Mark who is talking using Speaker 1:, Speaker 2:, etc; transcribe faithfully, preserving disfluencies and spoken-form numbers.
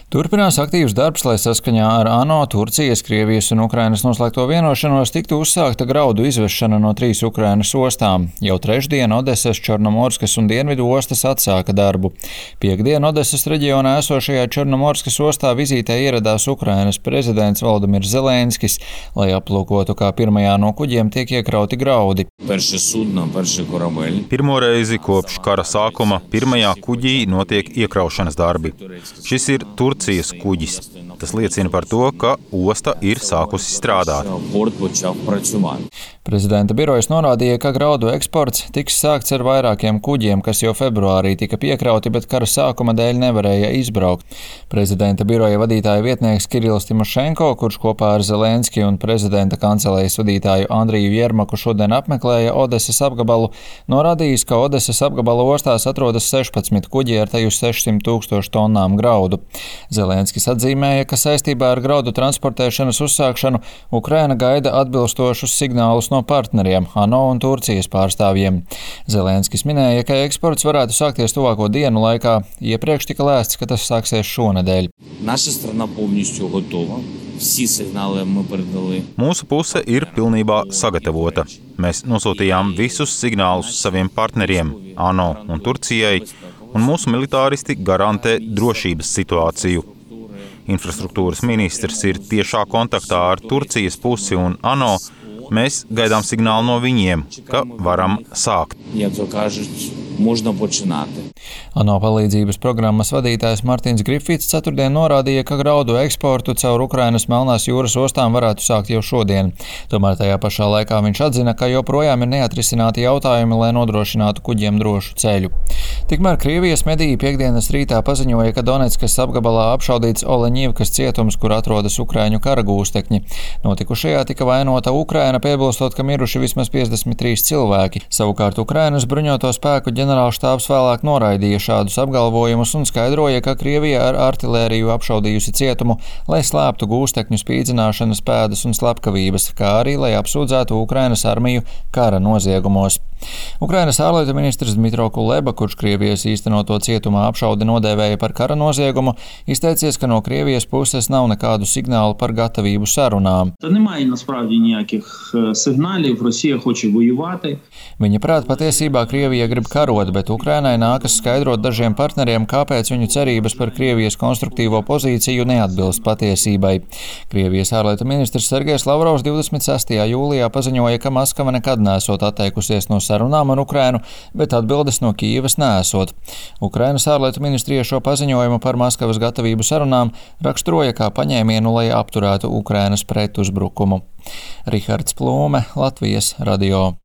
Speaker 1: Turpinās aktīvs darbs, lai saskaņā ar ANO, Turcijas, Krievijas un Ukrainas noslēgto vienošanos tiktu uzsākta graudu izvešana no trīs Ukrainas ostām. Jau trešdien Odesas, Čornomorskas un Dienvidu ostas atsāka darbu. Piektdien Odesas reģionā esošajā Čornomorskas ostā vizītē ieradās Ukrainas prezidents Volodimirs Zelenskis, lai aplūkotu, kā pirmajā no kuģiem tiek iekrauti graudi.
Speaker 2: Pirmo reizi kopš kara sākuma pirmajā kuģī notiek iekraušanas darbi. Šis ir Turcijas kuģis. Tas liecina par to, ka osta ir sākusi strādāt.
Speaker 1: Prezidenta birojas norādīja, ka graudu eksports tiks sākts ar vairākiem kuģiem, kas jau februārī tika piekrauti, bet kara sākuma dēļ nevarēja izbraukt. Prezidenta biroja vadītāja vietnieks Kirillis Timošenko, kurš kopā ar Zelenski un prezidenta kancelejas vadītāju Andriju Jermaku šodien apmeklēja Odesas apgabalu, norādījis, ka Odesas apgabala ostās atrodas sešpadsmit kuģi ar teju sešsimt tūkstošu tonnām graudu. Zelenskis atzīmēja, ka saistībā ar graudu transportēšanas uzsākšanu Ukraina gaida atbilstošus signālus no partneriem, ANO un Turcijas pārstāvjiem. Zelenskis minēja, ka eksports varētu sākties tuvāko dienu laikā. Iepriekš tika lēsts, ka tas sāksies šonedēļ.
Speaker 2: Mūsu puse ir pilnībā sagatavota. Mēs nosūtījām visus signālus saviem partneriem, ANO un Turcijai, un mūsu militāristi garantē drošības situāciju. Infrastruktūras ministrs ir tiešā kontaktā ar Turcijas pusi un ANO. Mēs gaidām signālu no viņiem, ka varam sākt.
Speaker 1: ANO palīdzības programmas vadītājs Martins Grifits ceturtdien norādīja, ka graudu eksportu caur Ukrainas Melnās jūras ostām varētu sākt jau šodien. Tomēr tajā pašā laikā viņš atzina, ka joprojām ir neatrisināti jautājumi, lai nodrošinātu kuģiem drošu ceļu. Tikmēr Krievijas mediji piekdienas rītā paziņoja, ka Doneckas apgabalā apšaudīts Oleņivkas cietums, kur atrodas ukraiņu kara gūstekņi. Notikušajā tika vainota Ukraina, piebilstot, ka miruši vismaz piecdesmit trīs cilvēki. Savukārt Ukrainas bruņoto spēku ģenerālštābs vēlāk noraidīja šādus apgalvojumus un skaidroja, ka Krievija ar artilēriju apšaudījusi cietumu, lai slēptu gūstekņu spīdzināšanas pēdas un slepkavības, kā arī lai apsūdzētu Ukrainas armiju kara noziegumos. Ukrainas ārlietu ministrs Dmitro Kuleba, kurš Krievijas īstenoto cietumā apšaudi nodēvēja par kara noziegumu, izteicies, ka no Krievijas puses nav nekādu signālu par gatavību sarunām. Viņa prāt, patiesībā Krievija grib karot, bet Ukrainai nākas skaidrot dažiem partneriem, kāpēc viņu cerības par Krievijas konstruktīvo pozīciju neatbilst patiesībai. Krievijas ārlietu ministrs Sergejs Lavrovs divdesmit sestajā jūlijā paziņoja, ka Maskava nekad neesot atteikusies no sarunām ar Ukrainu, bet atbildes no Kijevas neesot. Ukrainas ārlietu ministrija šo paziņojumu par Maskavas gatavību sarunām raksturoja kā paņēmienu, lai apturētu Ukrainas pretuzbrukumu. Rihards Plūme, Latvijas radio.